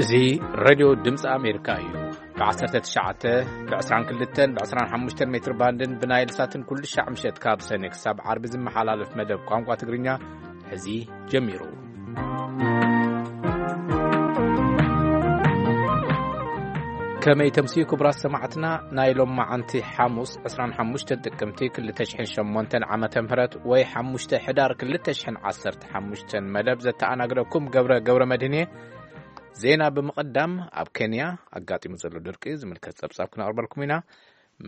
እዚ ሬድዮ ድምፂ ኣሜሪካ እዩ። ብ19፣ ብ22፣ ብ25 ሜትር ባንድን ብናይል ሳትን ኩሉ ሻዕ ምሸት ካብ ሰኔ ክሳብ ዓርቢ ዝመሓላለፍ መደብ ቋንቋ ትግርኛ ሕዚ ጀሚሩ። ከመይ ተምስዩ ክቡራት ሰማዕትና፣ ናይ ሎም መዓንቲ ሓሙስ 25 ጥቅምቲ 2008 ዓመተ ምህረት ወይ 5 ሕዳር 2015 መደብ ዘተኣናግደኩም ገብረ ገብረ መድህን እየ። ዜና ብምቕዳም፣ ኣብ ኬንያ ኣጋጢሙ ዘሎ ድርቂ ዝምልከት ጸብጻብ ክነቕርበልኩም ኢና።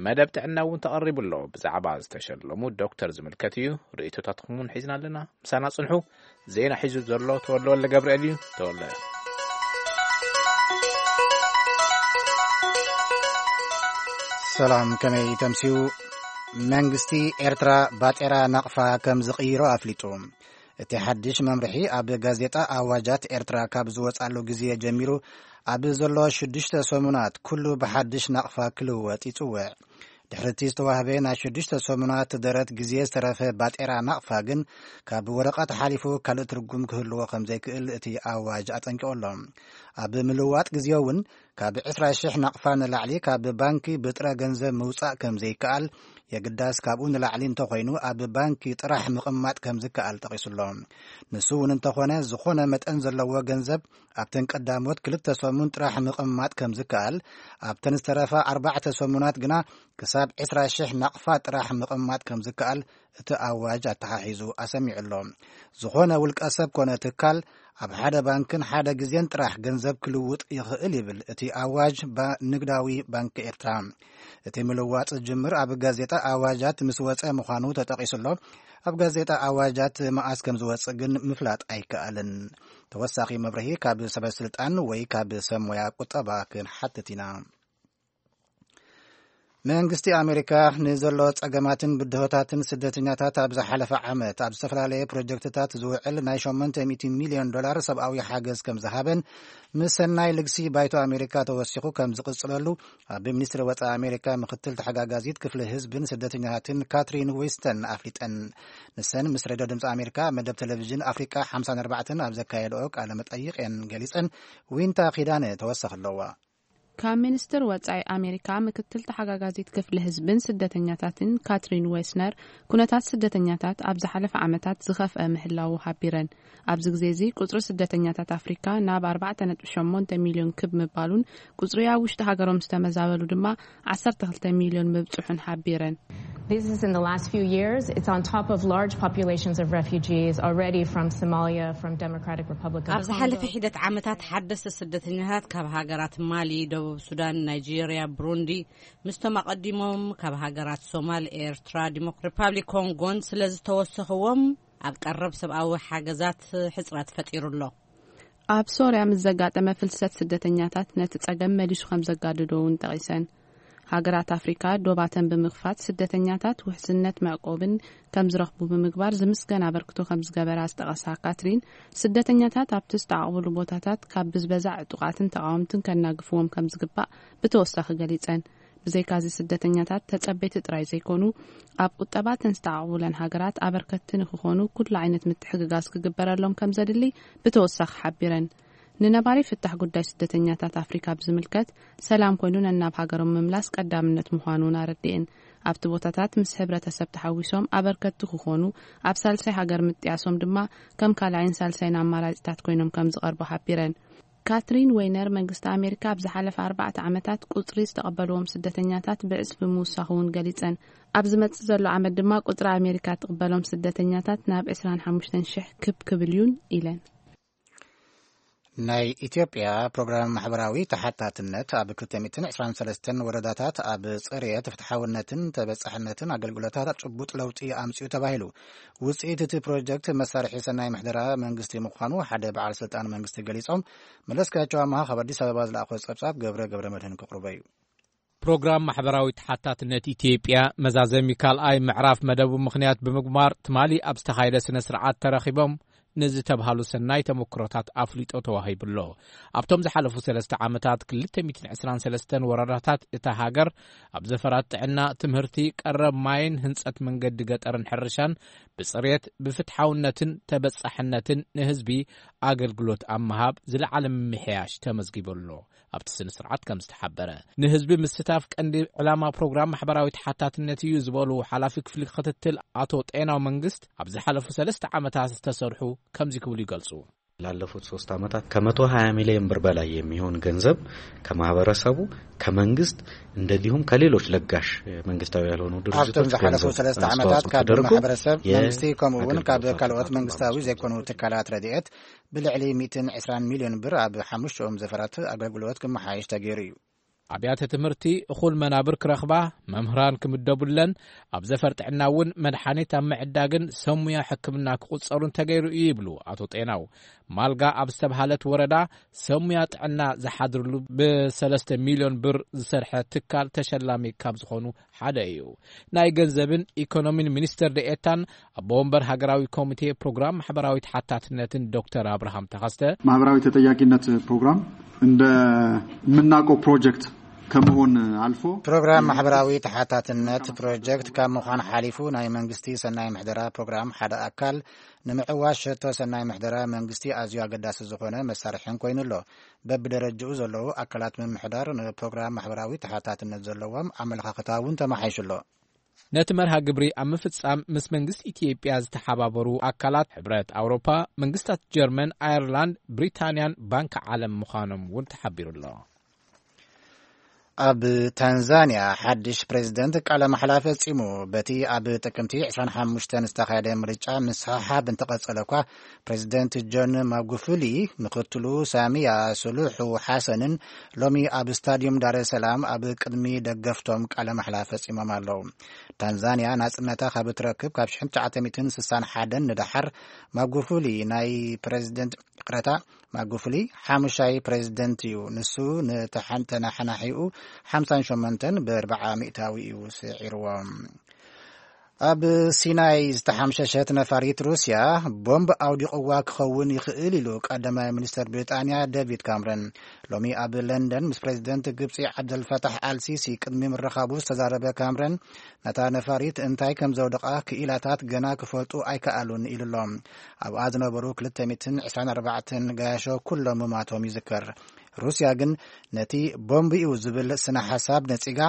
መደብ ጥዕና እውን ተቐሪቡ ኣሎ። ብዛዕባ ዝተሸለሙ ዶክተር ዝምልከት እዩ። ርእይቶታትኩም እውን ሒዝና ኣለና። ምሳና ጽንሑ። ዜና ሒዙ ዘሎ ተወልደ ወልደ ገብርኤል እዩ። ተወልደ። ሰላም፣ ከመይ ተምስዩ? መንግስቲ ኤርትራ ባጤራ ናቕፋ ከም ዝቕይሮ ኣፍሊጡ። እቲ ሓድሽ መምርሒ ኣብ ጋዜጣ ኣዋጃት ኤርትራ ካብ ዝወጻሉ ግዜ ጀሚሩ ኣብ ዘሎ ሽዱሽተ ሰሙናት ኩሉ ብሓድሽ ናቕፋ ክልወጥ ይጽውዕ። ድሕሪ እቲ ዝተዋህበ ናይ ሽዱሽተ ሰሙናት ደረት ግዜ ዝተረፈ ባጤራ ናቕፋ ግን ካብ ወረቐት ሓሊፉ ካልእ ትርጉም ክህልዎ ከም ዘይክእል እቲ ኣዋጅ ኣጠንቂቑ ኣሎ። ኣብ ምልዋጥ ግዜ እውን ካብ ዕስራ ሽሕ ናቕፋ ንላዕሊ ካብ ባንኪ ብጥረ ገንዘብ ምውጻእ ከም ዘይከኣል፣ የግዳስ ካብኡ ንላዕሊ እንተኾይኑ ኣብ ባንኪ ጥራሕ ምቕማጥ ከም ዝከኣል ጠቒሱ ኣሎ። ንሱ እውን እንተኾነ፣ ዝኾነ መጠን ዘለዎ ገንዘብ ኣብተን ቀዳሞት ክልተ ሰሙን ጥራሕ ምቕማጥ ከም ዝከኣል፣ ኣብተን ዝተረፋ ኣርባዕተ ሰሙናት ግና ክሳብ ዕስራ ሽሕ ናቕፋ ጥራሕ ምቕማጥ ከም ዝከኣል እቲ ኣዋጅ ኣተሓሒዙ ኣሰሚዑ ኣሎ። ዝኾነ ውልቀ ሰብ ኮነ ትካል ኣብ ሓደ ባንክን ሓደ ግዜን ጥራሕ ገንዘብ ክልውጥ ይኽእል ይብል እቲ ኣዋጅ ባ-፣ ንግዳዊ ባንክ ኤርትራ። እቲ ምልዋጥ ዝጅምር ኣብ ጋዜጣ ኣዋጃት ምስ ወጸ ምዃኑ ተጠቒሱ ኣሎ። ኣብ ጋዜጣ ኣዋጃት መኣስ ከም ዝወጽእ ግን ምፍላጥ ኣይከኣልን። ተወሳኺ መብርሂ ካብ ሰበ ስልጣን ወይ ካብ ሰብ ሞያ ቁጠባ ክንሓትት ኢና። መንግስቲ ኣሜሪካ ንዘሎ ጸገማትን ብድሆታትን ስደተኛታት ኣብ ዝሓለፈ ዓመት ኣብ ዝተፈላለየ ፕሮጀክትታት ዝውዕል ናይ ሸሞንተ ሚእቲ ሚልዮን ዶላር ሰብኣዊ ሓገዝ ከም ዝሃበን ምስ ሰናይ ልግሲ ባይቶ ኣሜሪካ ተወሲኹ ከም ዝቕጽለሉ ኣብ ሚኒስትሪ ወጻኢ ኣሜሪካ ምክትል ተሓጋጋዚት ክፍሊ ህዝብን ስደተኛታትን ካትሪን ዊስተን ኣፍሊጠን። ንሰን ምስ ሬድዮ ድምፂ ኣሜሪካ መደብ ቴሌቪዥን ኣፍሪቃ ሓምሳን ኣርባዕተን ኣብ ዘካየድኦ ቃለ መጠይቕ እየን ገሊጸን። ዊንታ ኪዳነ ተወሳኺ ኣለዋ። ካብ ሚኒስትር ወጻኢ ኣሜሪካ ምክትል ተሓጋጋዚት ክፍሊ ህዝብን ስደተኛታትን ካትሪን ዌስነር፣ ኩነታት ስደተኛታት ኣብ ዝሓለፈ ዓመታት ዝኸፍአ ምህላዉ ሓቢረን። ኣብዚ ግዜ እዚ ቁጽሪ ስደተኛታት ኣፍሪካ ናብ ኣርባዕተ ነጥቢ ሸሞንተ ሚልዮን ክብ ምባሉን ቁጽሪ ኣብ ውሽጢ ሃገሮም ዝተመዛበሉ ድማ ዓሰርተ ክልተ ሚልዮን ምብጽሑን ሓቢረን። This is in the last few years. It's on top of large populations of refugees already from Somalia, from Democratic Republic of ኣብ ዝሓለፈ Congo. ሒደት ዓመታት ሓደስቲ ስደተኛታት ካብ ሃገራት ማሊ፣ ደቡብ ሱዳን፣ ናይጄርያ፣ ብሩንዲ፣ ምስቶም ኣቐዲሞም ካብ ሃገራት ሶማል፣ ኤርትራ፣ ዲሞክ-፣ ሪፓብሊክ ኮንጎን ስለ ዝተወሰኽዎም፣ ኣብ ቀረብ ሰብኣዊ ሓገዛት ሕጽረት ፈጢሩ ኣሎ። ኣብ ሶርያ ምስ ዘጋጠመ ፍልሰት ስደተኛታት ነቲ ጸገም መሊሱ ከም ዘጋድዶ እውን ጠቒሰን። ሃገራት ኣፍሪካ ዶባተን ብምኽፋት ስደተኛታት ውሕስነት መዕቆብን ከም ዝረኽቡ ብምግባር ዝምስገን ኣበርክቶ ከም ዝገበራ ዝጠቐሳ ካትሪን፣ ስደተኛታት ኣብቲ ዝተዓቕብሉ ቦታታት ካብ ብዝበዛ ዕጡቓትን ተቓወምትን ከናግፍዎም ከም ዝግባእ ብተወሳኺ ገሊጸን። ብዘይካዚ ስደተኛታት ተጸበይቲ ጥራይ ዘይኮኑ፣ ኣብ ቁጠባ እተን ዝተዓቕቡለን ሃገራት ኣበርከትቲ ንክኾኑ ኩሉ ዓይነት ምትሕግጋዝ ክግበረሎም ከም ዘድሊ ብተወሳኺ ሓቢረን። ንነባሪ ፍታሕ ጉዳይ ስደተኛታት ኣፍሪካ ብዝምልከት፣ ሰላም ኮይኑ ነናብ ሃገሮም ምምላስ ቀዳምነት ምዃኑ እውን ኣረዲኤን። ኣብቲ ቦታታት ምስ ሕብረተሰብ ተሓዊሶም ኣበርከትቲ ክኾኑ፣ ኣብ ሳልሳይ ሃገር ምጥያሶም ድማ ከም ካልኣይን ሳልሳይን ኣማራጺታት ኮይኖም ከም ዝቐርቡ ሓቢረን። ካትሪን ዌይነር፣ መንግስቲ ኣሜሪካ ኣብ ዝሓለፈ ኣርባዕተ ዓመታት ቁጽሪ ዝተቐበልዎም ስደተኛታት ብዕጽፊ ምውሳኹ እውን ገሊጸን። ኣብ ዝመጽእ ዘሎ ዓመት ድማ ቁጽሪ ኣሜሪካ ትቕበሎም ስደተኛታት ናብ ዕስራን ሓሙሽተን ሽሕ ክብ ክብል እዩን ኢለን። ናይ ኢትዮጵያ ፕሮግራም ማሕበራዊ ተሓታትነት ኣብ ክልተ ሚእትን ዕስራን ሰለስተን ወረዳታት ኣብ ጽሬት፣ ፍትሓውነትን ተበጻሕነትን ኣገልግሎታት ጭቡጥ ለውጢ ኣምጺኡ ተባሂሉ። ውጽኢት እቲ ፕሮጀክት መሳርሒ ሰናይ ምሕደራ መንግስቲ ምዃኑ ሓደ በዓል ስልጣን መንግስቲ ገሊጾም። መለስካቸው ኣማሃ ካብ ኣዲስ ኣበባ ዝለኣኾ ጸብጻብ ገብረ ገብረ መድህን ክቕርቦ እዩ። ፕሮግራም ማሕበራዊ ተሓታትነት ኢትዮጵያ መዛዘሚ ካልኣይ ምዕራፍ መደቡ ምኽንያት ብምግባር ትማሊ ኣብ ዝተኻየደ ስነ ስርዓት ተረኺቦም ንዝተብሃሉ ሰናይ ተመክሮታት ኣፍሊጦ ተዋሂቡሎ። ኣብቶም ዝሓለፉ ሰለስተ ዓመታት ክልተ ሚእትን ዕስራን ሰለስተን ወረዳታት እታ ሃገር ኣብ ዘፈራት ጥዕና፣ ትምህርቲ፣ ቀረብ ማይን ህንጸት መንገዲ ገጠርን ሕርሻን ብጽሬት፣ ብፍትሓውነትን ተበጻሕነትን ንህዝቢ ኣገልግሎት ኣብ ምሃብ ዝለዓለ ምምሕያሽ ተመዝጊቡ ኣሎ። ኣብቲ ስነ ስርዓት ከም ዝተሓበረ፣ ንህዝቢ ምስታፍ ቀንዲ ዕላማ ፕሮግራም ማሕበራዊ ተሓታትነት እዩ ዝበሉ ሓላፊ ክፍሊ ክትትል ኣቶ ጤናው መንግስት፣ ኣብ ዝሓለፉ ሰለስተ ዓመታት ዝተሰርሑ ከምዚ ክብሉ ይገልጹ። ላለፉት ሶስት ዓመታት ከ120 ሚሊዮን ብር በላይ የሚሆን ገንዘብ ከማህበረሰቡ፣ ከመንግስት፣ እንደዚሁም ከሌሎች ለጋሽ መንግስታዊ ያልሆኑ ድርጅቶች ኣብቶም ዝሓለፉ ገንዘብ ሰለስተ ዓመታት ኣስተዋጽኦ ካብ ተደርጎ ማሕበረሰብ፣ መንግስቲ፣ ከምኡ እውን ካብ የአገልግሎት ካልኦት ኣፈጻጸም መንግስታዊ ኣስተዋጽኦ ዘይኮኑ ተደርጎ። ትካላት ረድኤት ብልዕሊ ሚእትን ዕስራን ሚሊዮን ብር ኣብ ሓሙሽተኦም ዘፈራት ኣገልግሎት ክመሓየሽ ተገይሩ እዩ። ኣብያተ ትምህርቲ፣ እኹል መናብር ክረኽባ፣ መምህራን ክምደቡለን፣ ኣብ ዘፈር ጥዕና እውን መድሓኒት ኣብ ምዕዳግን ሰብ ሙያ ሕክምና ክቑጸሩን ተገይሩ እዩ ይብሉ ኣቶ ጤናው። ማልጋ ኣብ ዝተብሃለት ወረዳ ሰብ ሙያ ጥዕና ዝሓድርሉ ብሰለስተ ሚሊዮን ብር ዝሰርሐ ትካል ተሸላሚ ካብ ዝኾኑ ሓደ እዩ። ናይ ገንዘብን ኢኮኖሚን ሚኒስትር ደኤታን ኣቦ ወንበር ሃገራዊ ኮሚቴ ፕሮግራም ማሕበራዊ ተሓታትነትን ዶክተር ኣብርሃም ተኸስተ፣ ማህበራዊ ተጠያቂነት ፕሮግራም እንደ የምናውቀው ፕሮጀክት ከመሆን አልፎ ፕሮግራም ማሕበራዊ ተሓታትነት ፕሮጀክት ካብ ምዃን ሓሊፉ ናይ መንግስቲ ሰናይ ምሕደራ ፕሮግራም ሓደ ኣካል ንምዕዋት ሸቶ ሰናይ ምሕደራ መንግስቲ ኣዝዩ ኣገዳሲ ዝኾነ መሳርሕን ኮይኑ ኣሎ። በብደረጃኡ ዘለዉ ኣካላት ምምሕዳር ንፕሮግራም ማሕበራዊ ተሓታትነት ዘለዎም ኣመለኻኽታ እውን ተመሓይሹ ኣሎ። ነቲ መርሃ ግብሪ ኣብ ምፍጻም ምስ መንግስቲ ኢትዮጵያ ዝተሓባበሩ ኣካላት ሕብረት ኣውሮፓ፣ መንግስታት ጀርመን፣ ኣየርላንድ፣ ብሪታንያን ባንክ ዓለም ምዃኖም እውን ተሓቢሩ ኣሎ። ኣብ ታንዛንያ ሓድሽ ፕሬዝደንት ቃለ ማሕላ ፈጺሙ። በቲ ኣብ ጥቅምቲ ዕስራን ሓሙሽተን ዝተኻየደ ምርጫ ምስሕሓብ እንተቐጸለ እኳ፣ ፕሬዝደንት ጆን ማጉፉሊ ምኽትሉ ሳሚያ ሱሉሑ ሓሰንን ሎሚ ኣብ ስታድዩም ዳረ ሰላም ኣብ ቅድሚ ደገፍቶም ቃለ ማሕላ ፈጺሞም ኣለዉ። ታንዛንያ ናጽነታ ካብ እትረክብ ካብ ሽሕን ትሽዓተ ሚእትን ስሳን ሓደን ንደሓር ማጉፉሊ ናይ ፕሬዝደንት፣ ይቕረታ፣ ማጉፉሊ ሓሙሻይ ፕሬዝደንት እዩ። ንሱ ንተሓን-፣ ተናሓናሒኡ ሓምሳን ሸሞንተን ብኣርብዓ ሚእታዊ እዩ ስዒርዎ። ኣብ ሲናይ ዝተሓምሸሸት ነፋሪት ሩስያ ቦምብ ኣውዲቕዋ ክኸውን ይኽእል ኢሉ ቀዳማይ ሚኒስተር ብሪጣንያ ዴቪድ ካምረን። ሎሚ ኣብ ለንደን ምስ ፕሬዝደንት ግብጺ ዓብደልፈታሕ ኣልሲሲ ቅድሚ ምርኻቡ ዝተዛረበ ካምረን፣ ነታ ነፋሪት እንታይ ከም ዘውደቓ ክኢላታት ገና ክፈልጡ ኣይከኣሉን ኢሉ ኣሎ። ኣብኣ ዝነበሩ ክልተ ሚእትን ዕስራን ኣርባዕተን ገያሾ ኩሎም ምማቶም ይዝከር። ሩስያ ግን ነቲ ቦምብ እዩ ዝብል ስነ ሓሳብ ነጺጋ፣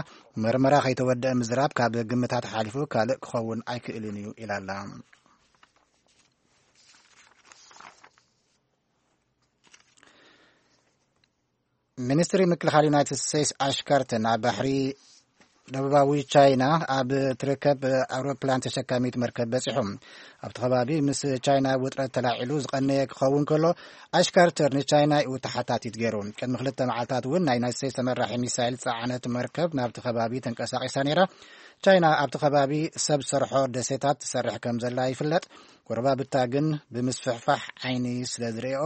መርመራ ከይተወደአ ምዝራብ ካብ ግምታት ሓሊፉ ካልእ ክኸውን ኣይክእልን እዩ ኢላ ኣላ። ሚኒስትሪ ምክልኻል ዩናይትድ ስቴትስ ኣሽ ካርተር ኣብ ባሕሪ ደቡባዊ ቻይና ኣብ ትርከብ ኣውሮፕላን ተሸካሚት መርከብ በጺሖም። ኣብቲ ከባቢ ምስ ቻይና ውጥረት ተላዒሉ ዝቐነየ ክኸውን ከሎ፣ ኣሽ ካርተር ንቻይና እዩ ተሓታቲት ገይሩ። ቅድሚ ክልተ መዓልታት እውን ናይ ዩናይትድ ስቴትስ ተመራሒ ሚሳይል ጸዓነት መርከብ ናብቲ ከባቢ ተንቀሳቒሳ ነይራ። ቻይና ኣብቲ ከባቢ ሰብ ሰርሖ ደሴታት ትሰርሕ ከም ዘላ ይፍለጥ። ጎረባብታ ግን ብምስፍሕፋሕ ዓይኒ ስለ ዝርእኦ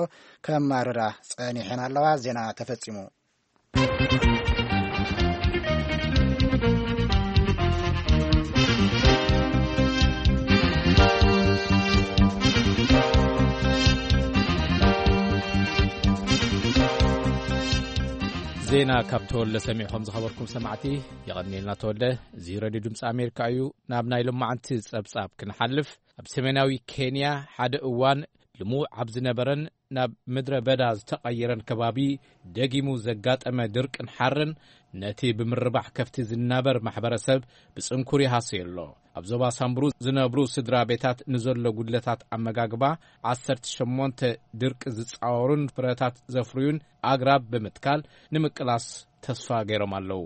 ከማርራ ጸኒሐን ኣለዋ። ዜና ተፈጺሙ። ዜና ካብ ተወልደ ሰሚዕኹም ዝኸበርኩም ሰማዕቲ፣ የቐንየልና ተወልደ። እዚ ሬድዮ ድምፂ ኣሜሪካ እዩ። ናብ ናይ ሎማዓንቲ ጸብጻብ ክንሓልፍ፣ ኣብ ሰሜናዊ ኬንያ ሓደ እዋን ልሙዕ ኣብ ዝነበረን ናብ ምድረ በዳ ዝተቐየረን ከባቢ ደጊሙ ዘጋጠመ ድርቅን ሓርን ነቲ ብምርባሕ ከፍቲ ዝናበር ማሕበረሰብ ብጽንኩር ይሃስዮ ኣሎ። ኣብ ዞባ ሳምብሩ ዝነብሩ ስድራ ቤታት ንዘሎ ጉድለታት ኣመጋግባ፣ ዓሰርተ ሸሞንተ ድርቂ ዝጻወሩን ፍረታት ዘፍርዩን ኣግራብ ብምትካል ንምቅላስ ተስፋ ገይሮም ኣለዉ።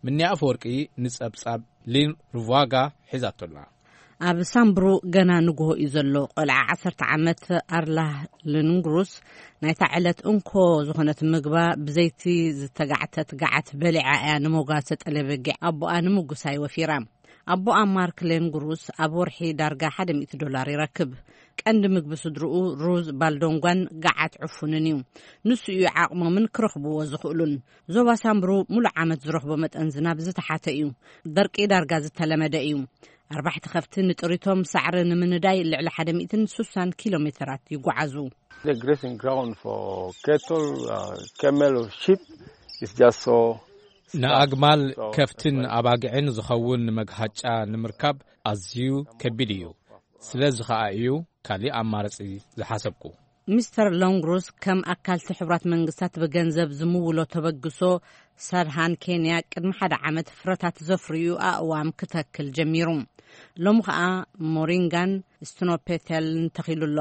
ምንያ ኣፈወርቂ ንጸብጻብ ሊን ሩቫጋ ሒዛቶላ። ኣብ ሳምብሩ ገና ንግሆ እዩ ዘሎ። ቆልዓ ዓሰርተ ዓመት ኣርላህ ልንግሩስ ናይታ ዕለት እንኮ ዝኾነት ምግባ ብዘይቲ ዝተጋዕተት ገዓት በሊዓ እያ ንመጓሰ ጠለበጊዕ ኣቦኣ ንምጉሳይ ወፊራ። ኣቦኣ ማርክ ሌንግሩስ ኣብ ወርሒ ዳርጋ ሓደ ሚእቲ ዶላር ይረክብ። ቀንዲ ምግቢ ስድርኡ ሩዝ፣ ባልዶንጓን ገዓት ዕፉንን እዩ። ንሱ እዩ ዓቕሞምን ክረኽብዎ ዝኽእሉን። ዞባ ሳምብሩ ሙሉእ ዓመት ዝረኽቦ መጠን ዝናብ ዝተሓተ እዩ። ደርቂ ዳርጋ ዝተለመደ እዩ። ኣርባሕቲ ከፍቲ ንጥሪቶም ሳዕሪ ንምንዳይ ልዕሊ ሓደ ሚእትን ስሳን ኪሎ ሜተራት ይጓዓዙ። The grazing ground for cattle, uh, camel or sheep is just so ንኣግማል፣ so ከፍትን that's why ኣባግዕን ዝኸውን መግሃጫ ንምርካብ ኣዝዩ ከቢድ እዩ። ስለዚ ኸኣ እዩ ካሊእ ኣማራጺ ዝሓሰብኩ። ሚስተር ሎንግሩስ ከም ኣካል እቲ ሕቡራት መንግስታት ብገንዘብ ዝምውሎ ተበግሶ፣ ሳድሃን ኬንያ ቅድሚ ሓደ ዓመት ፍረታት ዘፍርዩ ኣእዋም ክተክል ጀሚሩ። ሎሚ ኸኣ ሞሪንጋን ስቲኖፔተልን ተኺሉ ኣሎ።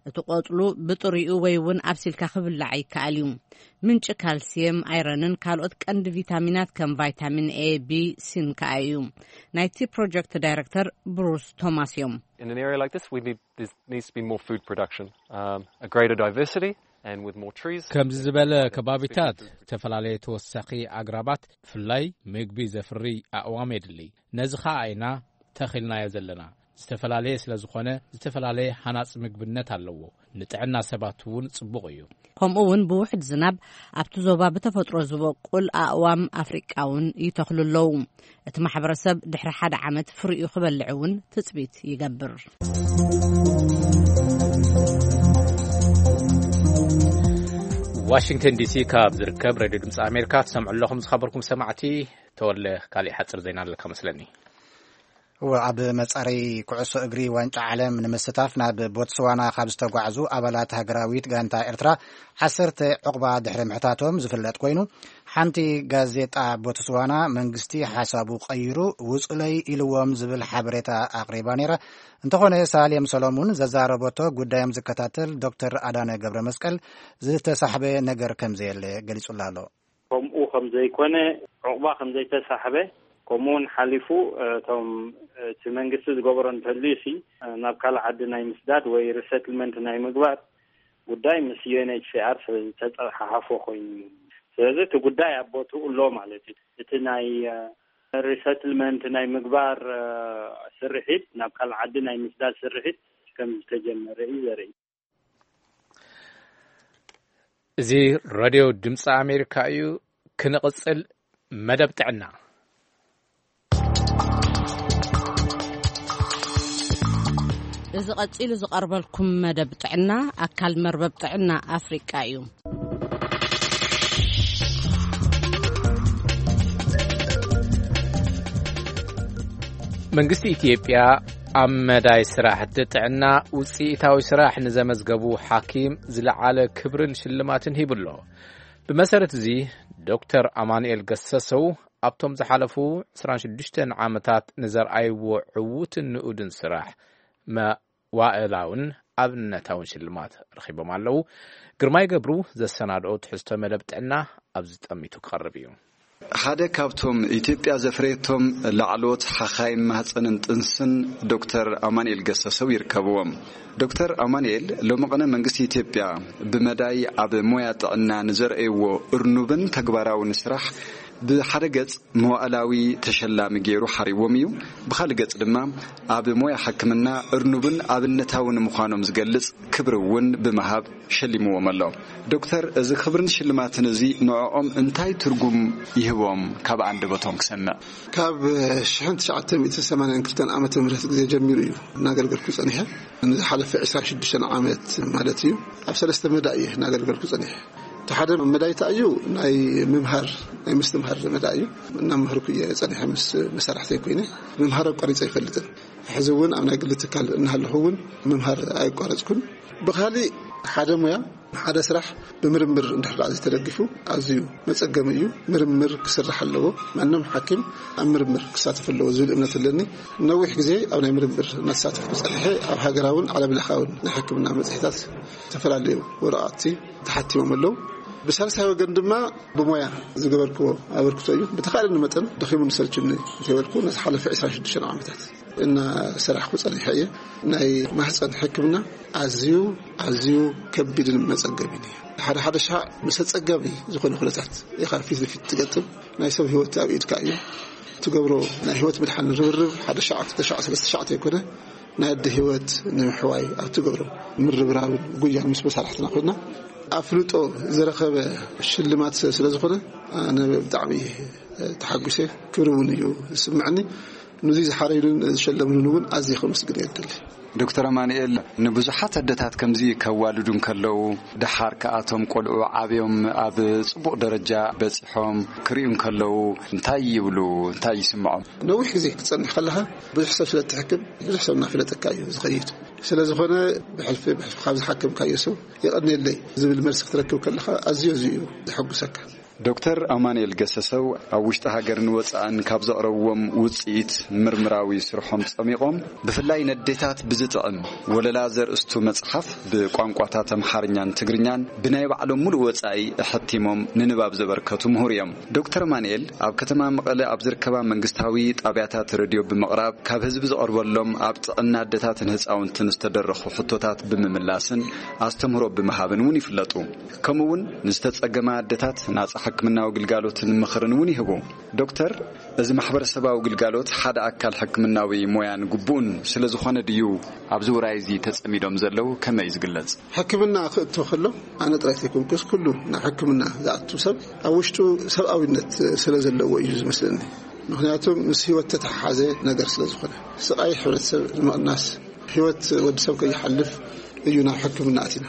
እቲ ቆጽሉ ብጥሪኡ ወይ እውን ኣብሲልካ ክብላዕ ይከኣል እዩ። ምንጪ ካልሲየም፣ ኣይረንን ካልኦት ቀንዲ ቪታሚናት ከም ቫይታሚን ኤ፣ ቢ፣ ሲን ከኣ እዩ። ናይቲ ፕሮጀክት ዳይረክተር ብሩስ ቶማስ እዮም። In an area like this, we need, there needs to be more food production, um, a greater diversity, and with more trees. ከምዚ ዝበለ ከባቢታት ዝተፈላለየ ተወሳኺ ኣግራባት፣ ብፍላይ ምግቢ ዘፍሪ ኣእዋም የድሊ። ነዚ ኸኣ ኢና ተኺልናዮ ዘለና። ዝተፈላለየ ስለ ዝኾነ፣ ዝተፈላለየ ሃናጺ ምግብነት ኣለዎ። ንጥዕና ሰባት እውን ጽቡቕ እዩ። ከምኡ እውን ብውሕድ ዝናብ ኣብቲ ዞባ ብተፈጥሮ ዝበቁል ኣእዋም ኣፍሪቃ እውን ይተኽሉ ኣለዉ። እቲ ማሕበረሰብ ድሕሪ ሓደ ዓመት ፍሪኡ ክበልዕ እውን ትጽቢት ይገብር። ዋሽንግተን ዲሲ ካብ ዝርከብ ሬድዮ ድምፂ ኣሜሪካ ትሰምዑ ኣለኹም። ዝኸበርኩም ሰማዕቲ፣ ተወለ፣ ካሊእ ሓፂር ዜና ኣለካ መስለኒ። እወ፣ ኣብ መጻረይ ኩዕሶ እግሪ ዋንጫ ዓለም ንምስታፍ ናብ ቦትስዋና ካብ ዝተጓዕዙ ኣባላት ሃገራዊት ጋንታ ኤርትራ ዓሰርተ ዕቑባ ድሕሪ ምሕታቶም ዝፍለጥ ኮይኑ፣ ሓንቲ ጋዜጣ ቦትስዋና መንግስቲ ሓሳቡ ቀይሩ ውጹለይ ኢልዎም ዝብል ሓበሬታ ኣቕሪባ ነይራ። እንተኾነ ሳሌም ሰሎሙን ዘዛረበቶ ጉዳዮም ዝከታተል ዶክተር ኣዳነ ገብረ መስቀል ዝተሳሕበ ነገር ከም ዘየለ ገሊጹላ ኣሎ። ከምኡ ከም ዘይኮነ፣ ዕቑባ ከም ዘይተሳሕበ፣ ከምኡ እውን ሓሊፉ፣ እ፣ እቶም፣ እ፣ እቲ መንግስቲ ዝገበሮ እንተልዩ ሲ፣ እ፣ ናብ ካልእ ዓዲ ናይ ምስዳድ ወይ ሪሰትልመንት ናይ ምግባር ጉዳይ ምስ ዩ ኤን ኤች ሲ ኣር ስለ ዝተጸሓሓፎ ኮይኑ እዩ። ስለዚ እቲ ጉዳይ ኣብ ቦትኡ ኣሎ ማለት እዩ። እቲ ናይ፣ እ፣ ሪሰትልመንት ናይ ምግባር፣ እ፣ ስርሒት፣ ናብ ካልእ ዓዲ ናይ ምስዳድ ስርሒት ከም ዝተጀመረ እዩ ዘርኢ። እዚ ሬድዮ ድምፂ ኣሜሪካ እዩ። ክንቕፅል፣ መደብ ጥዕና። እዚ ቀፂሉ ዝቐርበልኩም መደብ ጥዕና ኣካል መርበብ ጥዕና ኣፍሪቃ እዩ። መንግስቲ ኢትዮጵያ ኣብ መዳይ ስራሕቲ ጥዕና ውፅኢታዊ ስራሕ ንዘመዝገቡ ሓኪም ዝለዓለ ክብርን ሽልማትን ሂቡ ኣሎ። ብመሰረት እዚ፣ ዶክተር ኣማኑኤል ገሰሰው ኣብቶም ዝሓለፉ ዕስራን ሽዱሽተን ዓመታት ንዘርኣይዎ ዕዉትን ንኡድን ስራሕ መዋእላውን ኣብነታውን ሽልማት ረኺቦም ኣለዉ። ግርማይ ገብሩ ዘሰናድኦ ትሕዝቶ መደብ ጥዕና ኣብዚ ጠሚቱ ክቐርብ እዩ። ሓደ ካብቶም ኢትዮጵያ ዘፍረየቶም ላዕለዎት ሓኻይም ማህፀንን ጥንስን ዶክተር ኣማኑኤል ገሰሰው ይርከብዎም። ዶክተር ኣማኑኤል ሎሚ ቅነ መንግስቲ ኢትዮጵያ ብመዳይ ኣብ ሞያ ጥዕና ንዘርእይዎ እርኑብን ተግባራውን ስራሕ ብሓደ ገጽ መዋእላዊ ተሸላሚ ገይሩ ሓሪዎም እዩ። ብኻልእ ገጽ ድማ ኣብ ሞያ ሕክምና እርኑብን ኣብነታውን ምዃኖም ዝገልጽ ክብሪ እውን ብምሃብ ሸሊምዎም ኣሎ። ዶክተር፣ እዚ ክብርን ሽልማትን እዚ ንዕኦም እንታይ ትርጉም ይህቦም? ካብ ኣንደበቶም ክሰምዕ። ካብ ሽሕን ትሽዓተ ሚእትን ሰማንያን ክልተን ዓመተ ምህረት ግዜ ጀሚሩ እዩ እናገልገልኩ ጸኒሐ። ንዝሓለፈ ዕስራን ሽዱሽተን ዓመት ማለት እዩ። ኣብ ሰለስተ መዳይ እየ እናገልገልኩ ጸኒሐ። እቲ ሓደ መዳይ እንታይ እዩ? ናይ ምምሃር፣ ናይ ምስትምሃር መዳይ እዩ። እናምሃርኩ እየ ጸኒሐ ምስ መሳርሕተይ ኮይነ። ምምሃር ኣቋሪጸ ኣይፈልጥን። ሕዚ እውን ኣብ ናይ ግሊ ትካል እናሃለኹ እውን ምምሃር ኣይቋረጽኩን። ብኻሊእ ሓደ ሞያ፣ ሓደ ስራሕ ብምርምር እንድሕር ደኣ ዘይተደጊፉ ኣዝዩ መጸገሚ እዩ። ምርምር ክስራሕ ኣለዎ። ማንም ሓኪም ኣብ ምርምር ክሳተፍ ኣለዎ ዝብል እምነት ኣለኒ። ነዊሕ ግዜ ኣብ ናይ ምርምር እናተሳተፍኩ ጸኒሐ። ኣብ ሃገራውን ዓለም ለኻውን ናይ ሕክምና መጽሔታት ዝተፈላለዩ ወረቓቕቲ ተሓቲሞም ኣለዉ። ብሳልሳይ ወገን ድማ ብሞያ ዝገበርክዎ ኣበርክቶ እዩ። ብተኻእለኒ መጠን ደኺሙኒ ሰልችኒ እንተይበልኩ፣ ነቲ ሓለፈ ዕስራን ሽዱሽተን ዓመታት እናሰራሕኩ ጸኒሐ እየ። ናይ ማህፀን ሕክምና ኣዝዩ፣ ኣዝዩ ከቢድን መጸገቢን እዩ። ሓደ ሓደ ሻዕ ምስ ኣጸጋሚ ዝኾነ ኩነታት ኢኻ ፊት ንፊት ትገጥም። ናይ ሰብ ህይወት ኣብ ኢድካ እዩ። ትገብሮ ናይ ህይወት ምድሓን ርብርብ ሓደ ሻዕ፣ ክልተ ሻዕ፣ ሰለስተ ሻዕ ተይኮነ፣ ናይ ኣደ ህይወት ንምሕዋይ ኣብ ትገብሮ ምርብራብን ጉያን ምስ መሳርሕትና ኮይና፣ ኣፍልጦ ዝረኸበ ሽልማት ስለ ዝኾነ፣ ኣነ ብጣዕሚ ተሓጒሰ፣ ክብሪ እውን እዩ ዝስምዐኒ። ነዚ ዝሓረዩንን ዝሸለሙንን እውን ኣዝየ ከመስግን እየ ዝደሊ። ዶክተር ኣማኑኤል፣ ንብዙሓት ኣደታት ከምዚ ከዋልዱ እንከለዉ፣ ደሓር ከኣቶም ቆልዑ ዓብዮም ኣብ ጽቡቕ ደረጃ በጺሖም ክርእዩ እንከለዉ፣ እንታይ ይብሉ? እንታይ ይስምዖም? ነዊሕ ግዜ ክትጸንሕ ከለኻ፣ ብዙሕ ሰብ ስለ እትሕክም፣ ብዙሕ ሰብ እናፈለጠካ እዩ ዝኸይድ። ስለ ዝኾነ፣ ብሕልፊ፣ ብሕልፊ ካብ ዝሓከምካዮ ሰብ፣ "የቐንየለይ" ዝብል መልሲ ክትረክብ ከለኻ፣ ኣዝዩ፣ ኣዝዩ እዩ ዘሐጉሰካ። ዶክተር ኣማኑኤል ገሰሰው ኣብ ውሽጢ ሃገርን ወጻእን ካብ ዘቕረብዎም ውጽኢት ምርምራዊ ስርሖም ጸሚቖም፣ ብፍላይ ነዴታት ብዝጥዕም ወለላ ዘርእስቱ መጽሓፍ ብቋንቋታት ኣምሓርኛን ትግርኛን ብናይ ባዕሎም ሙሉእ ወጻኢ ኣሐቲሞም ንንባብ ዘበርከቱ ምሁር እዮም። ዶክተር ኣማኑኤል ኣብ ከተማ መቐለ ኣብ ዝርከባ መንግስታዊ ጣብያታት ሬድዮ ብምቕራብ፣ ካብ ህዝቢ ዝቐርበሎም ኣብ ጥዕና ኣዴታትን ህጻውንትን ዝተደረኹ ሕቶታት ብምምላስን ኣስተምህሮ ብምሃብን እውን ይፍለጡ። ከምኡ እውን ንዝተጸገማ ኣዴታት ናጻ ሕክምናዊ ግልጋሎትን ምኽርን እውን ይህቡ። ዶክተር፣ እዚ ማሕበረሰባዊ ግልጋሎት ሓደ ኣካል ሕክምናዊ ሞያን ግቡእን ስለ ዝኾነ ድዩ ኣብዚ ውራይ እዚ ተጸሚዶም ዘለዉ? ከመይ እዩ ዝግለጽ? ሕክምና ክእቶ ከሎ፣ ኣነ ጥራይ ዘይኮንኩስ፣ ኩሉ ናብ ሕክምና ዝኣቱ ሰብ ኣብ ውሽጡ ሰብኣዊነት ስለ ዘለዎ እዩ ዝመስለኒ። ምኽንያቱ ምስ ህይወት ተተሓሓዘ ነገር ስለ ዝኾነ፣ ስቓይ ሕብረተሰብ ንምቕናስ፣ ህይወት ወዲ ሰብ ከይሓልፍ እዩ ናብ ሕክምና ኣቲና።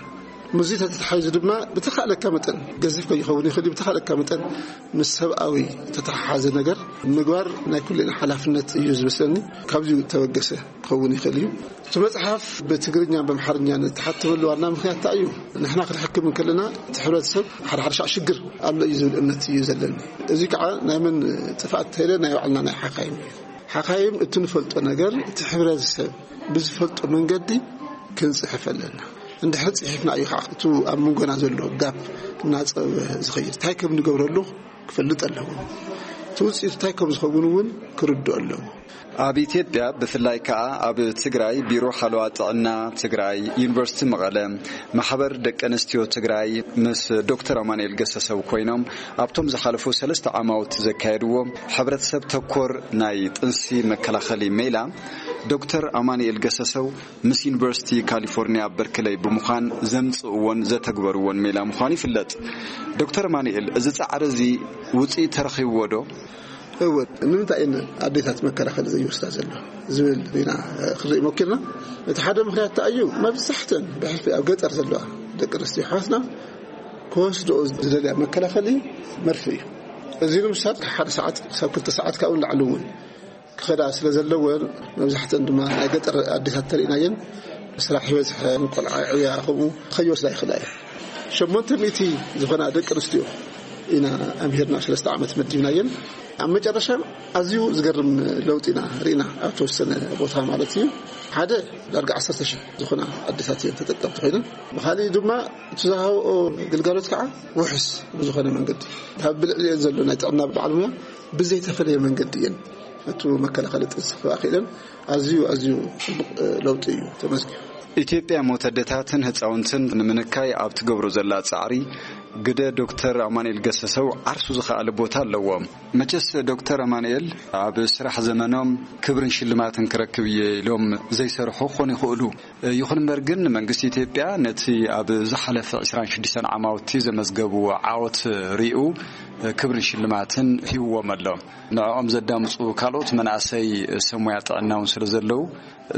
ምስዚ ተተሓሒዙ ድማ ብተኻእለካ መጠን፣ ገዚፍ ከይኸውን ይኽእል እዩ፣ ብተኻእለካ መጠን ምስ ሰብኣዊ ተተሓሓዘ ነገር ምግባር ናይ ኩልና ሓላፍነት እዩ ዝመስለኒ። ካብዚ ተበገሰ ክኸውን ይኽእል እዩ። እቲ መጽሓፍ ብትግርኛን ብኣምሓርኛን እተሓተመሉ ዋና ምኽንያት እንታይ እዩ? ንሕና ክንሕክም እንከለና፣ እቲ ሕብረተሰብ ሓደ ሓደ ሻዕ ሽግር ኣሎ እዩ ዝብል እምነት እዩ ዘለኒ። እዚ ከዓ ናይ መን ጥፍኣት ተይለ፣ ናይ ባዕልና ናይ ሓካይም እዩ። ሓካይም እቲ ንፈልጦ ነገር፣ እቲ ሕብረተሰብ ብዝፈልጦ መንገዲ ክንጽሕፍ ኣለና። እንድሕር ጽሒፍና እዩ ከዓ እቲ ኣብ መንጎና ዘሎ ጋፕ እናጸበበ ዝኸይድ። እንታይ ከም ንገብረሉ ክፈልጥ ኣለዎ። እቲ ውጽኢት እንታይ ከም ዝኸውን እውን ክርድኦ ኣለዎ። ኣብ ኢትዮጵያ፣ ብፍላይ ከኣ ኣብ ትግራይ፣ ቢሮ ሓለዋ ጥዕና ትግራይ፣ ዩኒቨርሲቲ መቐለ፣ ማሕበር ደቂ ኣንስትዮ ትግራይ ምስ ዶክተር ኣማኑኤል ገሰሰው ኮይኖም ኣብቶም ዝሓለፉ ሰለስተ ዓማውቲ ዘካየድዎ ሕብረተሰብ ተኮር ናይ ጥንሲ መከላኸሊ ሜላ፣ ዶክተር ኣማኑኤል ገሰሰው ምስ ዩኒቨርሲቲ ካሊፎርኒያ በርክለይ ብምዃን ዘምጽእዎን ዘተግበርዎን ሜላ ምዃኑ ይፍለጥ። ዶክተር ኣማኑኤል፣ እዚ ጻዕሪ እዚ ውጽኢት ተረኺብዎ ዶ? እወ፣ ንምንታይ እየን ኣዴታት መከላኸሊ ዘይወስዳ ዘሎ ዝብል ኢና ክንርኢ ሞኪርና። እቲ ሓደ ምኽንያት እንታይ እዩ? መብዛሕተን ብሕልፊ ኣብ ገጠር ዘለዋ ደቂ ኣንስትዮ ኣሕዋትና ክወስድኦ ዝደልያ መከላኸሊ መርፍእ እዩ። እዚ ንምሳድ ካብ ሓደ ሰዓት ክሳብ ክልተ ሰዓት ካብኡ ንላዕሊ እውን ክኸዳ ስለ ዘለወን፣ መብዛሕተን ድማ ናይ ገጠር ኣዴታት ተሪእናየን፣ ስራሕ ይበዝሐን ቆልዓ ይዕብያ፣ ከምኡ ከይወስዳ ይኽእላ እየን። ሸሞንተ ሚእቲ ዝኾና ደቂ ኣንስትዮ ኢና ኣምሂርና፣ ሰለስተ ዓመት መዲብናየን። ኣብ መጨረሻ ኣዝዩ ዝገርም ለውጢ ኢና ርኢና፣ ኣብ ተወሰነ ቦታ ማለት እዩ። ሓደ ዳርጋ ዓሰርተ ሺሕ ዝኾና ኣዴታት እየን ተጠቀምቲ ኮይነን። ብኻሊእ ድማ እቲ ዝሃብኦ ግልጋሎት ከዓ ውሑስ ብዝኾነ መንገዲ፣ ካብ ብልዕሊአን ዘሎ ናይ ጥዕና በዓል ሙያ ብዘይተፈለየ መንገዲ እየን ነቲ መከላኸሊ ጥንሲ ክህባ ክኢለን። ኣዝዩ፣ ኣዝዩ ጽቡቕ ለውጢ እዩ ተመዝጊቡ። ኢትዮጵያ ሞት ኣደታትን ህጻውንትን ንምንካይ ኣብ ትገብሮ ዘላ ጻዕሪ፣ ግደ ዶክተር ኣማኑኤል ገሰሰው ዓርሱ ዝኸኣለ ቦታ ኣለዎ። መቸስ ዶክተር ኣማኑኤል ኣብ ስራሕ ዘመኖም ክብርን ሽልማትን ክረክብ እየ ኢሎም ዘይሰርሑ ክኾኑ ይኽእሉ። ይኹን እምበር ግን፣ መንግስቲ ኢትዮጵያ ነቲ ኣብ ዝሓለፈ ዕስራን ሽዱሽተን ዓማውቲ ዘመዝገብዎ ዓወት ሪኡ ክብርን ሽልማትን ሂብዎም ኣሎ። ንዕኦም ዘዳምፁ ካልኦት መናእሰይ ሰብ ሞያ ጥዕና እውን ስለ ዘለዉ፣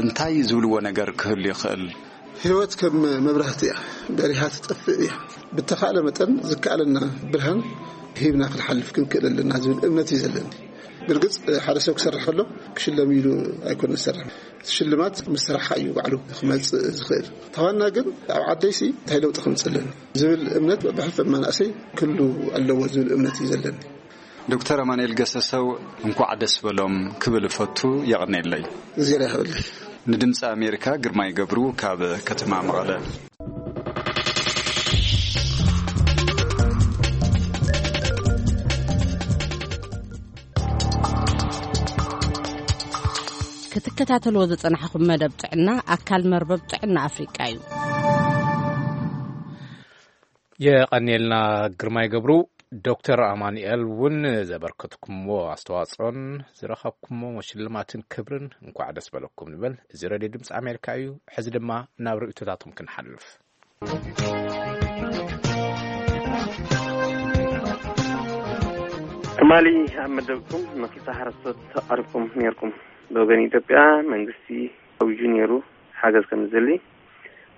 እንታይ ዝብልዎ ነገር ክህሉ ይኽእል? ህይወት ከም መብራህቲ እያ፣ በሪሃ ትጠፍእ እያ። ብተኻእለ መጠን ዝከኣለና ብርሃን ሂብና ክንሓልፍ ክንክእል ኣለና ዝብል እምነት እዩ ዘለኒ። ብርግጽ፣ ሓደ ሰብ ክሰርሕ ከሎ ክሽለም ኢሉ ኣይኮነ ዝሰርሕ። እቲ ሽልማት ምስ ስራሕካ እዩ ባዕሉ ክመጽእ ዝኽእል። ተዋና ግን ኣብ ዓደይሲ እንታይ ለውጢ ክምጽእ ኣለኒ ዝብል እምነት ብሕልፊ መናእሰይ ክህሉ ኣለዎ ዝብል እምነት እዩ ዘለኒ። ዶክተር ኣማኑኤል ገሰሰው፣ እንኳዕ ደስ በሎም ክብል እፈቱ። የቐንየለይ። እግዜር ያኽብርልይ። ንድምፂ ኣሜሪካ፣ ግርማይ ገብሩ ካብ ከተማ መቐለ። ክትከታተልዎ ዝጸናሕኹም መደብ ጥዕና፣ ኣካል መርበብ ጥዕና ኣፍሪቃ እዩ። የቐንየልና ግርማይ ገብሩ። ዶክተር ኣማኑኤል እውን ዘበርከትኩምዎ ኣስተዋጽኦን ዝረኸብኩምዎ ሽልማትን ክብርን እንኳዕ ደስ በለኩም ንበል። እዚ ሬድዮ ድምፂ ኣሜሪካ እዩ። ሕዚ ድማ ናብ ርእይቶታቶም ክንሓልፍ። ትማሊ ኣብ መደብኩም ንክልተ ሓረስቶት ኣቕሪብኩም ነይርኩም። ብወገን ኢትዮጵያ መንግስቲ ኣዊጁ ነይሩ። ሓገዝ ከም ዝደሊ፣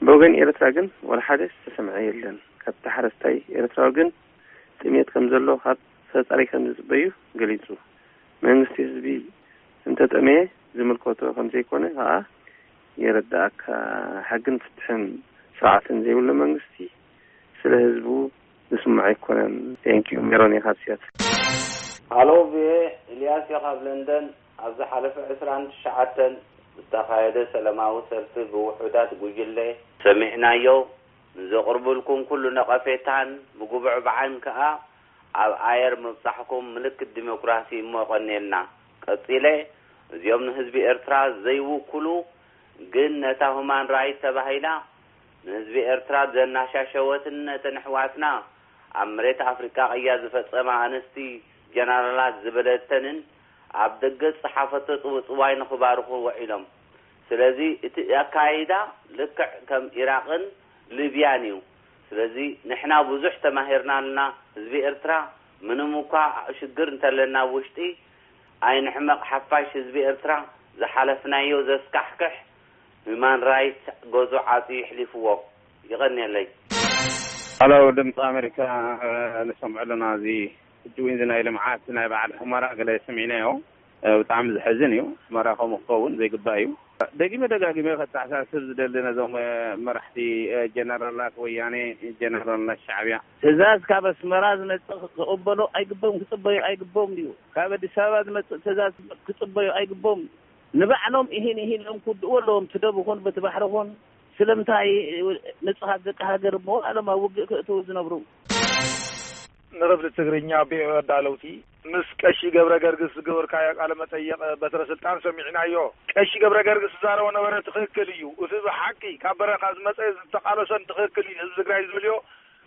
ብወገን ኤርትራ ግን ዋላ ሓደ ዝተሰምዐ የለን። ካብቲ ሓረስታይ ኤርትራዊ ግን ጥሜት ከም ዘሎ ካብ ፈጣሪ ከም ዝጽበዩ ገሊጹ። መንግስቲ ህዝቢ እንተጠመየ ዝምልከቶ ከም ዘይኮነ ከኣ የረዳእካ። ሕግን ፍትሕን ስርዓትን ዘይብሉ መንግስቲ ስለ ህዝቡ ዝስምዖ ኣይኮነን። Thank you። ሜሮን እየ ካብ ሲያትል። ሃሎ ቪኦኤ፣ ኢልያስ እየ ካብ ለንደን። ኣብ ዝሓለፈ ዕስራን ትሽዓተን ዝተኻየደ ሰላማዊ ሰልፊ ብውሑዳት ጉጅለ ሰሚዕናዮ። ንዘቕርብልኩም ኩሉ ነቐፌታን ምጉብዕባዕን ከኣ ኣብ ኣየር ምብጻሕኩም ምልክት ዲሞክራሲ እሞ የቐንየልና። ቀጺለ፣ እዚኦም ንህዝቢ ኤርትራ ዘይውክሉ፣ ግን ነታ ሁማን ራይት ተባሂላ ንህዝቢ ኤርትራ ዘናሻሸወትን ነተን ኣሕዋትና ኣብ መሬት ኣፍሪቃ ቅያ ዝፈጸማ ኣንስቲ ጀነራላት ዝበለተንን ኣብ ደገ ዝጸሓፈቶ ጽውጽዋይ ንኽባርኹ ውዒሎም። ስለዚ እቲ ኣካይዳ ልክዕ ከም ኢራቕን ሊብያን እዩ። ስለዚ ንሕና ብዙሕ ተማሂርና ኣለና። ህዝቢ ኤርትራ ምንም እኳ ሽግር እንተለና ኣብ ውሽጢ ኣይንሕመቕ። ሓፋሽ ህዝቢ ኤርትራ ዝሓለፍናዮ ዘስካሕክሕ ሁማን ራይት ገዙ ዓጽዩ ይሕሊፍዎ። ይቐንየለይ። ሃሎ ድምፂ ኣሜሪካ፣ እ፣ ንሰምዖ ኣለና። እዚ ሕጂ እውን እዚ ናይ ልምዓት ናይ በዓል ሑመራ ገለ ሰሚዕናዮ። እ፣ ብጣዕሚ ዘሕዝን እዩ። ሑመራ ከምኡ ክኸውን ዘይግባእ እዩ። ደጊመ ደጋጊመ ከተሓሳስብ ዝደሊ ነዞም፣ እ፣ መራሕቲ፣ እ፣ ጀነራላት ወያኔ፣ ጀነራላት ሻዕብያ፣ ትእዛዝ ካብ ኣስመራ ዝመጽእ ክቕበሎ ኣይግቦም፣ ክጽበዮ ኣይግቦም ድዩ? ካብ ኣዲስ ኣበባ ዝመጽእ ትእዛዝ ክጽበዮ ኣይግቦም። ንባዕሎም ኢሂን ኢሂን እዮም ክውድእዎ ኣለዎም፣ እቲ ደብ ይኹን በቲ ባሕሪ ይኹን። ስለምንታይ ንጹሃት ደቂ ሃገር እሞ ዓለም ኣብ ውግእ ክእትዉ ዝነብሩ? ንክፍሊ ትግርኛ ቪኦኤ ኣዳለውቲ፣ ምስ ቀሺ ገብረ ገርግስ ዝገበርካዮ ቃለ መጠይቕ በትረ ስልጣን ሰሚዕናዮ። ቀሺ ገብረ ገርግስ ዝዛረቦ ነበረ ትኽክል እዩ። እቲ ብሓቂ ካብ በረኻ ዝመጸ ዝተቓለሶን ትኽክል እዩ። ህዝቢ ትግራይ ዝደልዮ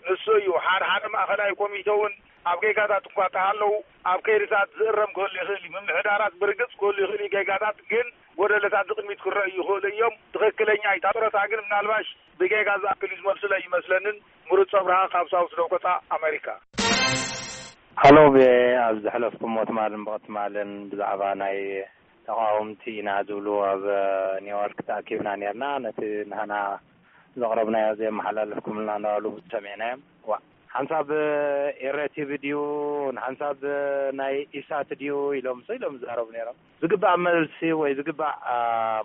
ንሱ እዩ። ሓደ ሓደ ማእኸላይ ኮሚቴ እውን ኣብ ጌጋታት እኳ ተሃለዉ፣ ኣብ ከይድታት ዝእረም ክህሉ ይኽእል እዩ። ምምሕዳራት ብርግጽ ክህሉ ይኽእል እዩ። ጌጋታት ግን ጎደለታት ዝቕድሚት ክረኣዩ ይኽእሉ እዮም። ትኽክለኛ እዩ። እታ ጡረታ ግን ምናልባሽ ብጌጋ ዝኣክል እዩ ዝመልሱለይ ይመስለንን። ምሩፅ ኣብርሃ ካብ ሳውት ዳኮታ ኣሜሪካ። ሃሎ ቪኦኤ፣ ኣብ ዘሕለፍኩሞ ትማልን ብቕትማልን ብዛዕባ ናይ ተቓወምቲ ኢና ዝብሉ ኣብ ኒውዮርክ ተኣኪብና ኔርና። ነቲ ንህና ዘቕረብናዮ ዘየመሓላለፍኩምልና እናበሉ ሰሚዕናዮም። ዋ፣ ሓንሳብ ኤረ ቲቪ ድዩ፣ ንሓንሳብ ናይ ኢሳት ድዩ ኢሎም፣ ሶ ኢሎም ዝዛረቡ ነይሮም። ዝግባእ መልሲ ወይ ዝግባእ፣ አ፣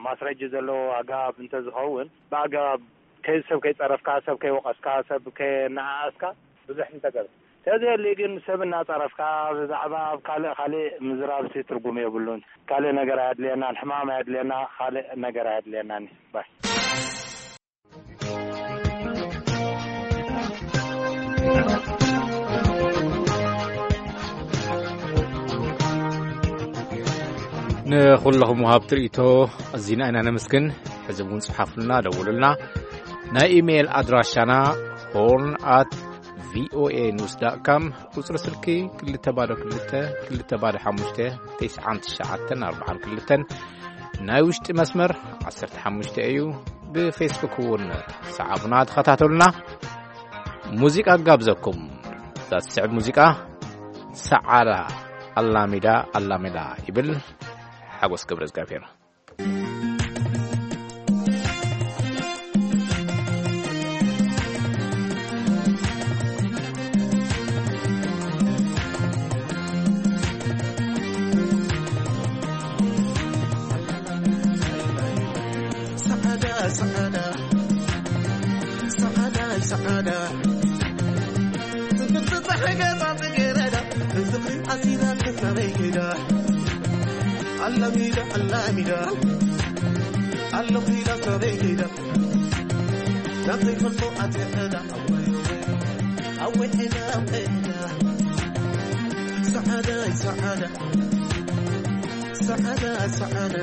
ማስረጂ ዘለዎ ኣገባብ እንተዝኸውን፣ ብኣገባብ ከይ-፣ ሰብ ከይጸረፍካ፣ ሰብ ከይወቐስካ፣ ሰብ ከይነኣኣስካ ብዙሕ እንተገብ-፣ ተዘየሊ ግን ሰብ እናጸረፍካ ብዛዕባ ኣብ ካልእ ካልእ ምዝራብሲ ትርጉም የብሉን። ካልእ ነገር ኣየድልየናን፣ ሕማም ኣየድልየና፣ ካልእ ነገር ኣየድልየናን እዩ። ባይ። ንኹለኹም ወሃብቲ ርእይቶ ኣዚና ኢና ነመስግን። ሕዚ እውን ጽሓፉልና፣ ደውሉልና። ናይ ኢሜይል ኣድራሻና ሆርን ኣት ቪኦኤ ኒውስ ዳት ካም፣ ቁጽሪ ስልኪ ክልተ ባዶ ክልተ፣ ክልተ ባዶ ሓሙሽተ፣ ተስዓን ትሽዓተን ኣርባዓን ክልተን፣ ናይ ውሽጢ መስመር ዓሰርተ ሓሙሽተ እዩ። ብፌስቡክ እውን ሰዓቡና፣ ተኸታተሉና። ሙዚቃ ጋብዘኩም። እዛ ትስዕብ ሙዚቃ ሰዓዳ ኣላሚዳ ኣላሚዳ ይብል ሓጎስ ገብረ እግዚኣብሔር። ሰዓዳ፣ ሰዓዳ፣ ሰዓዳ፣ ሰዓዳ። ጽብቕቲ ጸሓይ ገጻ ጽጌረዳ፣ ንዝኽሪ ኣሲራ ትናበይ ከይዳ። ኣላሚዳ፣ ኣላሚዳ፣ ኣለኹ ኢላ ትናበይ ከይዳ። ናብ ዘይፈልጦ ኣትያ ዕዳ፣ ኣወይ፣ ኣወይ፣ ዕዳ፣ ዕዳ። ሰዓዳ፣ ሰዓዳ። ሰዓዳ፣ ሰዓዳ።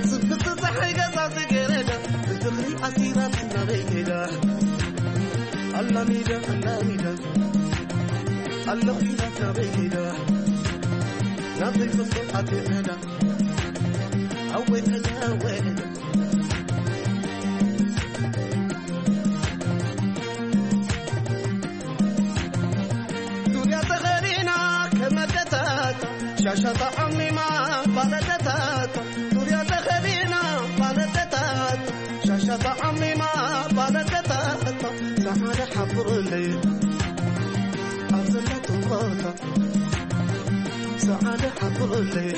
ጽብቕቲ ጸሓይ ገጻ ጽጌረዳ፣ ንዝኽሪ ኣሲራ ትናበይ ከይዳ። ኣላሚዳ፣ ኣላሚዳ፣ ኣለኹ ኢላ ትናበይ ከይዳ። ናብ ዘይፈልጦ ኣትያ ዕዳ። ኣወይ ዕዳ፣ ኣወይ ዕዳ። ዙርያ ተኸዲና ከም ኣደታታ፣ ሻሻ ተዓሚማ ፋል ኣደታታ። ዙርያ ተኸዲና ፋል ኣደታታ፣ ሻታ ዓሚማ ባለቀታ እቶ ሰዓደ ሓፍርለይ ኣብ ዘለቱ ቦታ ሰዓደ ሓፍርለይ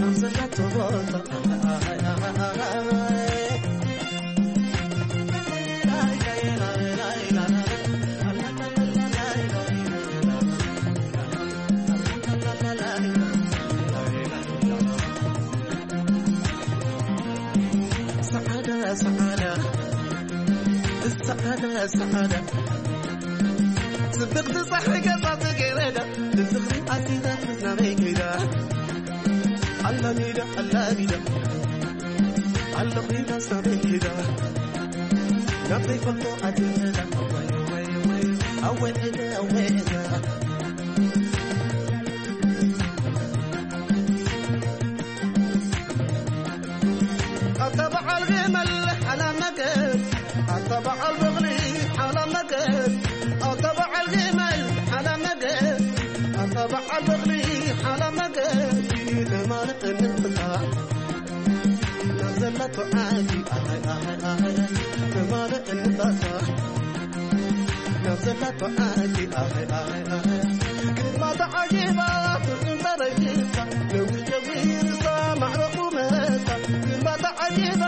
ኣብ ዘለቱ ቦታ ሰዓዳ ሰዓዳ ሰዓዳ ሰዓዳ ጽብቕቲ ጸሓይ ገጻ ጽጌረዳ ንፍቕሪ ኣሲራ ናበይ ከይዳ ኣላሚዳ ኣላሚዳ ኣለኺ ናሳበይ ከይዳ ናበይ ፈልጦ ኣትኸዳ ኣወይ ኣወይ ኣወይ ኣታ በዓል ግመል ሓላ መገድ ኣታ በዓል በቕሊ ሓላ መገድ ኣታ በዓል ግመል ሓላ መገድ ኣታ በዓል በቕሊ ሓላ መገድ ተማልእ እንጥታ ናብ ዘላቶ ዓዲ ኣይ ኣይ ኣይ ተማልእ እንጣታ ናብ ዘላቶ ዓዲ ኣይ ኣይ ኣይ ግርማ ተዓጊባ ትርጉም ተረጊሳ ነዊሕ ጀሚርሳ ማዕረ ቁመታ ግርማ ተዓጊባ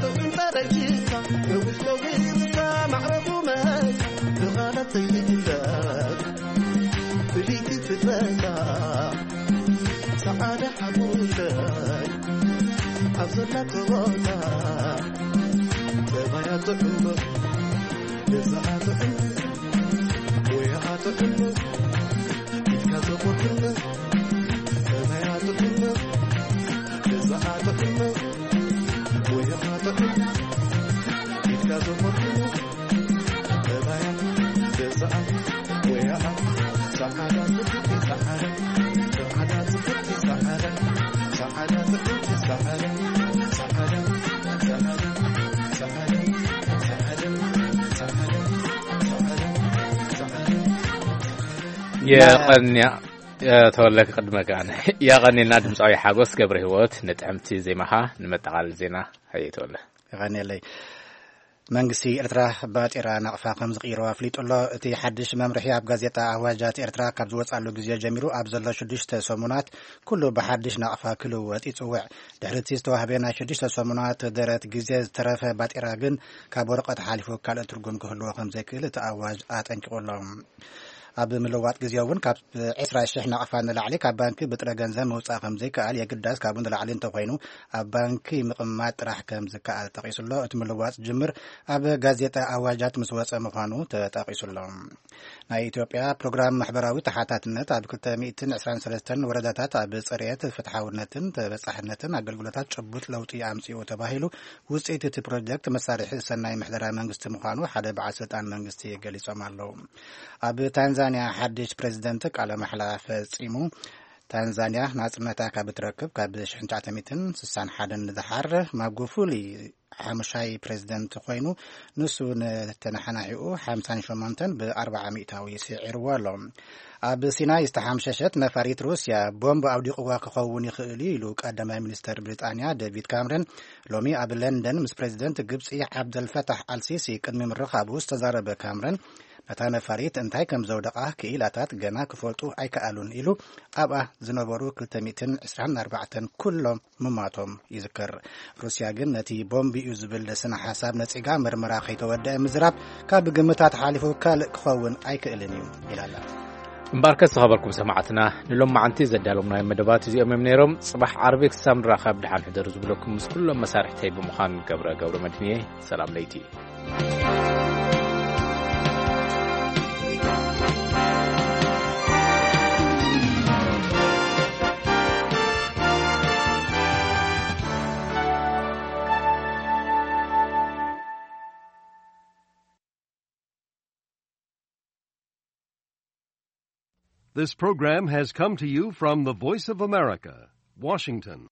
ትርጉም ተረጊሳ ነዊሕ ጀሚርሳ ማዕረ ቁመታ ብኻላት ዘይግለጽ ፍልይቲ ፍጥረታ ሰዓዳ ሓሙሸት ኣብ ዘላቶ ቦታ ጠባያ ጥዑም ገዛኣ ጥዑም ሞያኣ ጥዑም ኢድካ ዘቆርጥም ጠባያ ጥዑም ገዛኣ ጥዑም ሞያኣ ጥዑም ኢድካ ዘቆርጥም የቐንያ ተወለ ክቕድመካ ኣነ የቐንየልና ድምፃዊ ሓጎስ ገብረ ህይወት ንጥዕምቲ ዜማኻ። ንመጠቓለሊ ዜና ሃየ ተወለ። የቐንየለይ። መንግስቲ ኤርትራ ባጤራ ናቕፋ ከም ዝቕይሮ ኣፍሊጡ ኣሎ። እቲ ሓድሽ መምርሒ ኣብ ጋዜጣ ኣዋጃት ኤርትራ ካብ ዝወጻሉ ግዜ ጀሚሩ ኣብ ዘሎ ሽዱሽተ ሰሙናት ኩሉ ብሓድሽ ናቕፋ ክልወጥ ይጽውዕ። ድሕሪ እቲ ዝተዋህበ ናይ ሽዱሽተ ሰሙናት ደረት ግዜ ዝተረፈ ባጤራ ግን ካብ ወረቐት ሓሊፉ ካልእ ትርጉም ክህልዎ ከም ዘይክእል እቲ ኣዋጅ ኣጠንቂቑ ኣሎ። ኣብ ምልዋጥ ግዜ እውን ካብ ዕስራ ሽሕ ናቕፋ ንላዕሊ ካብ ባንኪ ብጥረ ገንዘብ ምውጻእ ከም ዘይከኣል፣ የግዳስ ካብኡ ንላዕሊ እንተኾይኑ ኣብ ባንኪ ምቕማጥ ጥራሕ ከም ዝከኣል ጠቒሱ ኣሎ። እቲ ምልዋጥ ዝጅምር ኣብ ጋዜጣ ኣዋጃት ምስ ወጸ ምዃኑ ተጠቒሱ ኣሎ። ናይ ኢትዮጵያ ፕሮግራም ማሕበራዊ ተሓታትነት ኣብ ክልተ ሚእትን ዕስራን ሰለስተን ወረዳታት ኣብ ጽሬት፣ ፍትሓውነትን ተበጻሕነትን ኣገልግሎታት ጭቡጥ ለውጢ ኣምጺኡ ተባሂሉ። ውጽኢት እቲ ፕሮጀክት መሳርሒ ሰናይ ምሕደራ መንግስቲ ምዃኑ ሓደ በዓል ስልጣን መንግስቲ ገሊጾም ኣለዉ። ኣብ ታንዛንያ ሓድሽ ፕሬዚደንት ቃለ ማሕላ ፈጺሙ። ታንዛንያ ናጽነታ ካብ እትረክብ ካብ ሽሕን ትሽዓተ ሚእትን ስሳን ሓደን ንደሓር ማጉፉሊ ሓሙሻይ ፕሬዚደንት ኮይኑ፣ ንሱ ንተነሓናሒኡ ሓምሳን ሸሞንተን ብኣርባዓ ሚእታዊ ስዒርዎ ኣሎ። ኣብ ሲናይ ዝተሓምሸሸት ነፋሪት ሩስያ ቦምብ ኣውዲቕዋ ክኸውን ይኽእል እዩ ኢሉ ቀዳማይ ሚኒስተር ብሪጣንያ ዴቪድ ካምረን ሎሚ ኣብ ለንደን ምስ ፕሬዚደንት ግብጺ ዓብደልፈታሕ ኣልሲሲ ቅድሚ ምርኻቡ ዝተዛረበ ካምረን፣ ነታ ነፋሪት እንታይ ከም ዘውደቓ ክኢላታት ገና ክፈልጡ ኣይከኣሉን ኢሉ ኣብኣ ዝነበሩ ክልተ ሚእትን ዕስራን ኣርባዕተን ኩሎም ምማቶም ይዝከር። ሩስያ ግን ነቲ ቦምብ እዩ ዝብል ስነ ሓሳብ ነጺጋ ምርመራ ከይተወደአ ምዝራብ ካብ ግምታት ሓሊፉ ካልእ ክኸውን ኣይክእልን እዩ ኢላ ኣላ። እምበኣርከስ ዝኸበርኩም ሰማዕትና ንሎማዓንቲ ዘዳለውናዮም መደባት እዚኦም እዮም ነይሮም። ጽባሕ ዓርቢ ክሳብ ንራኸብ ደሓን ሕደሩ ዝብለኩም ምስ ኩሎም መሳርሕተይ ብምዃን ገብረ ገብረ መድህን እየ። ሰላም ለይቲ። This program has come to you from the Voice of America, Washington.